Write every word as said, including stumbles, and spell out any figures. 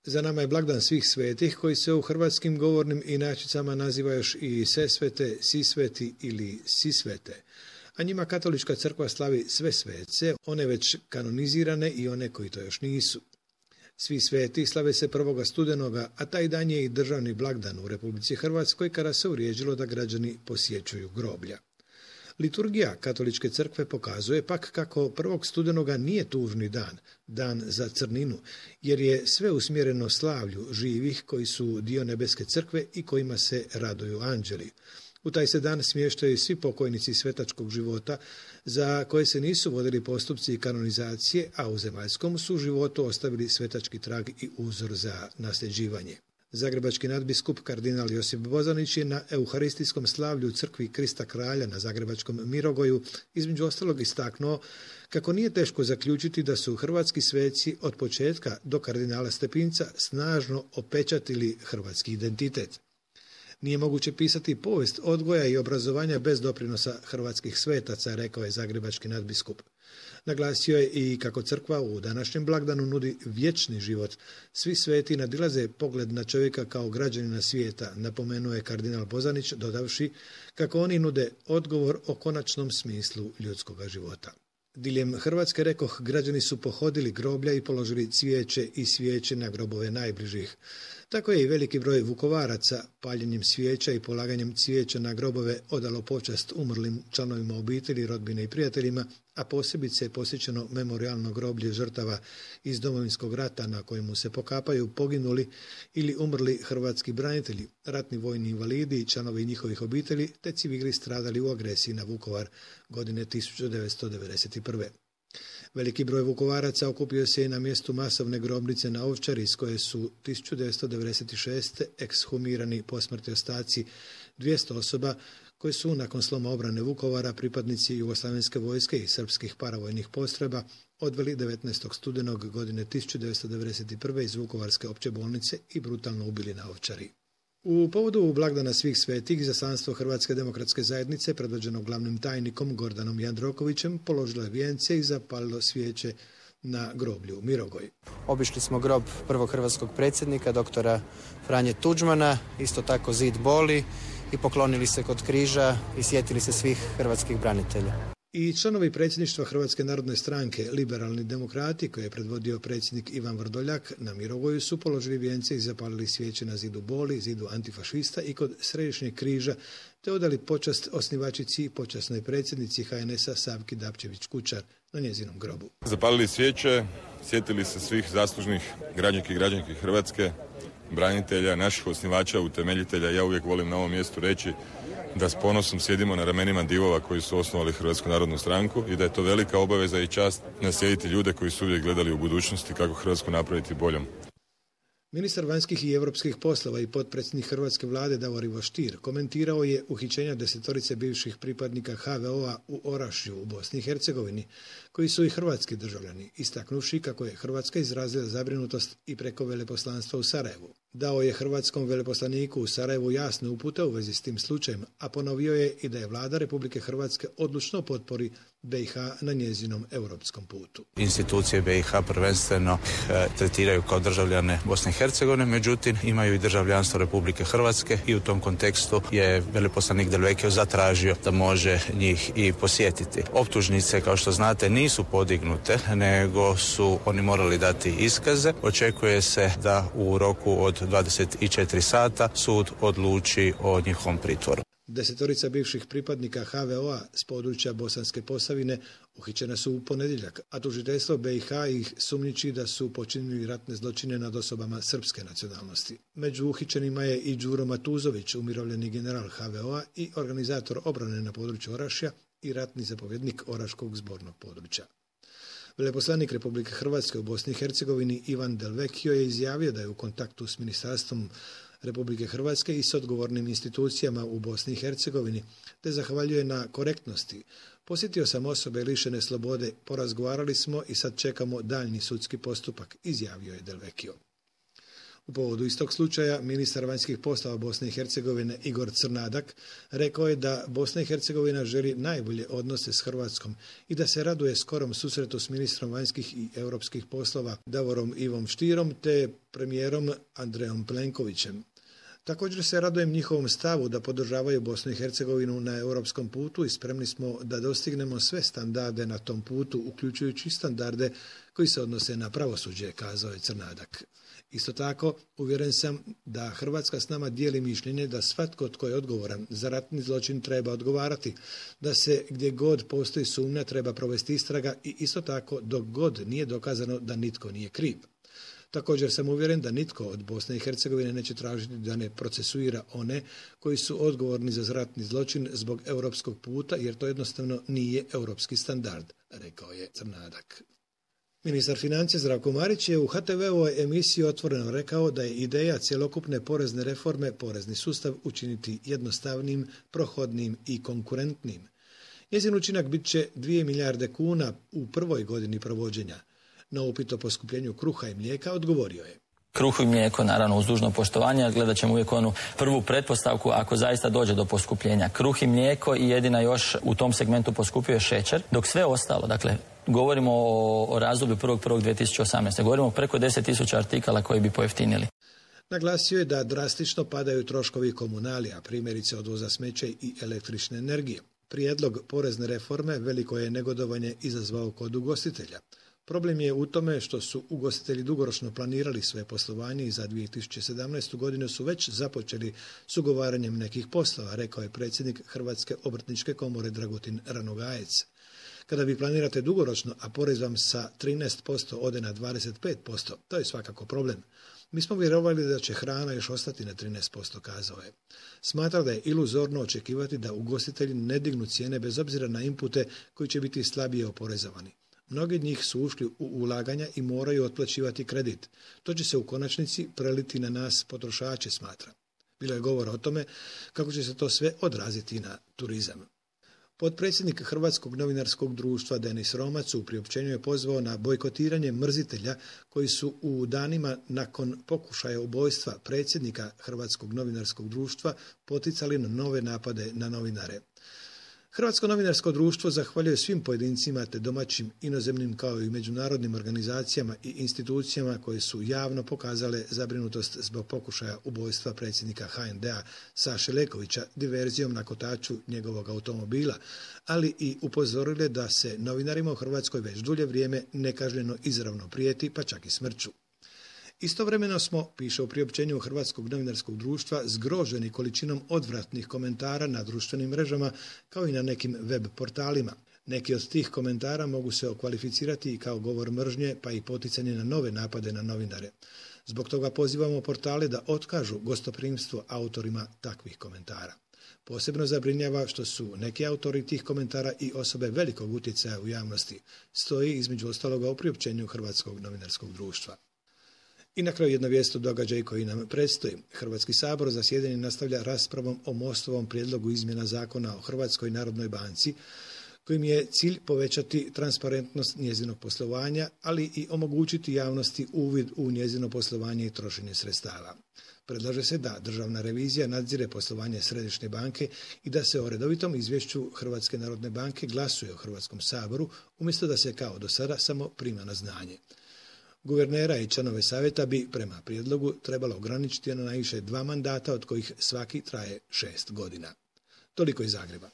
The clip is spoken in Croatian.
Za nama je blagdan svih svetih koji se u hrvatskim govornim inačicama naziva još i Sesvete, Sisveti ili Sisvete, a njima katolička crkva slavi sve svece, one već kanonizirane i one koji to još nisu. Svi sveti slave se prvoga studenoga, a taj dan je i državni blagdan u Republici Hrvatskoj kada se uvriježilo da građani posjećuju groblja. Liturgija katoličke crkve pokazuje pak kako prvog studenoga nije tužni dan, dan za crninu, jer je sve usmjereno slavlju živih koji su dio nebeske crkve i kojima se raduju anđeli. U taj se dan smještaju svi pokojnici svetačkog života za koje se nisu vodili postupci kanonizacije, a u zemaljskom su životu ostavili svetački trag i uzor za nasljeđivanje. Zagrebački nadbiskup kardinal Josip Bozanić je na euharistijskom slavlju crkvi Krista Kralja na Zagrebačkom Mirogoju između ostalog istaknuo kako nije teško zaključiti da su hrvatski sveci od početka do kardinala Stepinca snažno opečatili hrvatski identitet. Nije moguće pisati povijest odgoja i obrazovanja bez doprinosa hrvatskih svetaca, rekao je zagrebački nadbiskup. Naglasio je i kako crkva u današnjem blagdanu nudi vječni život. Svi sveti nadilaze pogled na čovjeka kao građanina svijeta, napomenuo je kardinal Bozanić, dodavši kako oni nude odgovor o konačnom smislu ljudskog života. Diljem Hrvatske, rekoh, građani su pohodili groblja i položili cvijeće i svijeće na grobove najbližih. Tako je i veliki broj Vukovaraca paljenjem svijeća i polaganjem cvijeća na grobove odalo počast umrlim članovima obitelji, rodbine i prijateljima, a posebice je posjećeno memorijalno groblje žrtava iz Domovinskog rata na kojemu se pokapaju poginuli ili umrli hrvatski branitelji, ratni vojni invalidi i članovi njihovih obitelji, te civili stradali u agresiji na Vukovar godine tisuću devetsto devedeset prve. Veliki broj Vukovaraca okupio se i na mjestu masovne grobnice na Ovčari, iz koje su tisuću devetsto devedeset šeste. ekshumirani posmrtni ostaci dvjesto osoba koji su nakon sloma obrane Vukovara pripadnici jugoslavenske vojske i srpskih paravojnih postrojba odveli devetnaestog studenog godine tisuću devetsto devedeset prve. iz Vukovarske opće bolnice i brutalno ubili na Ovčari. U povodu blagdana svih svetih izaslanstvo Hrvatske demokratske zajednice, predvođeno glavnim tajnikom Gordanom Jandrokovićem, položilo je vijence i zapalilo svijeće na groblju Mirogoj. Obišli smo grob prvog hrvatskog predsjednika, doktora Franje Tuđmana, isto tako zid boli i poklonili se kod križa i sjetili se svih hrvatskih branitelja. I članovi predsjedništva Hrvatske narodne stranke, liberalni demokrati, koje je predvodio predsjednik Ivan Vrdoljak, na Mirogoju su položili vijence i zapalili svijeće na zidu boli, zidu antifašista i kod središnjeg križa, te odali počast osnivačici i počasnoj predsjednici ha en es a Savki Dabčević-Kučar na njezinom grobu. Zapalili svijeće, sjetili se svih zaslužnih građanki i građanki Hrvatske, branitelja, naših osnivača, utemeljitelja. Ja uvijek volim na ovom mjestu reći da s ponosom sjedimo na ramenima divova koji su osnovali Hrvatsku narodnu stranku i da je to velika obaveza i čast naslijediti ljude koji su uvijek gledali u budućnosti kako Hrvatsku napraviti boljom. Ministar vanjskih i europskih poslova i potpredsjednik hrvatske vlade Davor Ivo Stier komentirao je uhićenja desetorice bivših pripadnika ha ve o a u Orašju u Bosni i Hercegovini, koji su i hrvatski državljani, istaknuvši kako je Hrvatska izrazila zabrinutost i preko veleposlanstva u Sarajevu. Dao je hrvatskom veleposlaniku u Sarajevu jasne upute u vezi s tim slučajem, a ponovio je i da je vlada Republike Hrvatske odlučno potpori be i ha na njezinom europskom putu. Institucije be i ha prvenstveno e, tretiraju kao državljane Bosne i Hercegovine, međutim imaju i državljanstvo Republike Hrvatske i u tom kontekstu je veleposlanik Del Vecchio zatražio da može njih i posjetiti. Optužnice, kao što znate, nisu podignute, nego su oni morali dati iskaze. Očekuje se da u roku od dvadeset četiri sata sud odluči o njihovom pritvoru. Desetorica bivših pripadnika ha ve o a s područja Bosanske Posavine uhićena su u ponedjeljak, a tužiteljstvo be i ha ih sumnjiči da su počinili ratne zločine nad osobama srpske nacionalnosti. Među uhićenima je i Đuro Matuzović, umirovljeni general ha ve o a i organizator obrane na području Orašja i ratni zapovjednik Oraškog zbornog područja. Veleposlanik Republike Hrvatske u Bosni i Hercegovini Ivan Del Vecchio je izjavio da je u kontaktu s ministarstvom Republike Hrvatske i s odgovornim institucijama u Bosni i Hercegovini, te zahvaljuje na korektnosti. Posjetio sam osobe lišene slobode, porazgovarali smo i sad čekamo daljnji sudski postupak, izjavio je Del Vecchio. U povodu istog slučaja ministar vanjskih poslova Bosne i Hercegovine Igor Crnadak rekao je da Bosna i Hercegovina želi najbolje odnose s Hrvatskom i da se raduje skorom susretu s ministrom vanjskih i europskih poslova Davorom Ivom Štirom te premijerom Andrejom Plenkovićem. Također se radujem njihovom stavu da podržavaju Bosnu i Hercegovinu na europskom putu i spremni smo da dostignemo sve standarde na tom putu, uključujući standarde koji se odnose na pravosuđe, kazao je Crnadak. Isto tako, uvjeren sam da Hrvatska s nama dijeli mišljenje da svatko tko je odgovoran za ratni zločin treba odgovarati, da se gdje god postoji sumnja treba provesti istraga i isto tako dok god nije dokazano da nitko nije kriv. Također sam uvjeren da nitko od Bosne i Hercegovine neće tražiti da ne procesuira one koji su odgovorni za ratni zločin zbog europskog puta, jer to jednostavno nije europski standard, rekao je Crnadak. Ministar financija Zdravko Marić je u ha te ve-ovoj emisiji otvoreno rekao da je ideja cjelokupne porezne reforme porezni sustav učiniti jednostavnim, prohodnim i konkurentnim. Njezin učinak bit će dvije milijarde kuna u prvoj godini provođenja. Na upit o poskupljenju kruha i mlijeka odgovorio je: Kruh i mlijeko, naravno, uz dužno poštovanje, gledat ćemo uvijek onu prvu pretpostavku ako zaista dođe do poskupljenja. Kruh i mlijeko i jedina još u tom segmentu poskupio je šećer, dok sve ostalo, dakle, govorimo o, o razdoblju prvog prvog dvije tisuće osamnaeste. Govorimo o preko deset tisuća artikala koji bi pojeftinili. Naglasio je da drastično padaju troškovi komunalija, primjerice odvoza smeća i električne energije. Prijedlog porezne reforme veliko je negodovanje izazvao kod ugostitelja. Problem je u tome što su ugostitelji dugoročno planirali svoje poslovanje i za dvije tisuće sedamnaestu. godinu su već započeli s ugovaranjem nekih poslova, rekao je predsjednik Hrvatske obrtničke komore Dragutin Ranogajec. Kada vi planirate dugoročno, a porez vam sa trinaest posto ode na dvadeset pet posto, to je svakako problem. Mi smo vjerovali da će hrana još ostati na trinaest posto, kazao je. Smatra da je iluzorno očekivati da ugostitelji ne dignu cijene bez obzira na inpute koji će biti slabije oporezovani. Mnogi od njih su ušli u ulaganja i moraju otplaćivati kredit. To će se u konačnici preliti na nas potrošače, smatra. Bilo je govora o tome kako će se to sve odraziti na turizam. Potpredsjednik Hrvatskog novinarskog društva Denis Romac u priopćenju je pozvao na bojkotiranje mrzitelja koji su u danima nakon pokušaja ubojstva predsjednika Hrvatskog novinarskog društva poticali na nove napade na novinare. Hrvatsko novinarsko društvo zahvaljuje svim pojedincima te domaćim, inozemnim kao i međunarodnim organizacijama i institucijama koje su javno pokazale zabrinutost zbog pokušaja ubojstva predsjednika ha en de-a Saše Lekovića diverzijom na kotaču njegovog automobila, ali i upozorile da se novinarima u Hrvatskoj već dulje vrijeme nekažnjeno izravno prijeti, pa čak i smrću. Istovremeno smo, piše u priopćenju Hrvatskog novinarskog društva, zgroženi količinom odvratnih komentara na društvenim mrežama kao i na nekim web portalima. Neki od tih komentara mogu se okvalificirati i kao govor mržnje, pa i poticanje na nove napade na novinare. Zbog toga pozivamo portale da otkažu gostoprimstvo autorima takvih komentara. Posebno zabrinjava što su neki autori tih komentara i osobe velikog utjecaja u javnosti, stoji između ostaloga u priopćenju Hrvatskog novinarskog društva. I na kraju jedna vijest o događaju koji nam predstoji. Hrvatski sabor zasjedanje nastavlja raspravom o Mostovom prijedlogu izmjena zakona o Hrvatskoj narodnoj banci, kojim je cilj povećati transparentnost njezinog poslovanja, ali i omogućiti javnosti uvid u njezino poslovanje i trošenje sredstava. Predlaže se da državna revizija nadzire poslovanje Središnje banke i da se o redovitom izvješću Hrvatske narodne banke glasuje u Hrvatskom saboru, umjesto da se kao do sada samo prima na znanje. Guvernera i članove savjeta bi prema prijedlogu trebalo ograničiti na najviše dva mandata, od kojih svaki traje šest godina. Toliko iz Zagreba.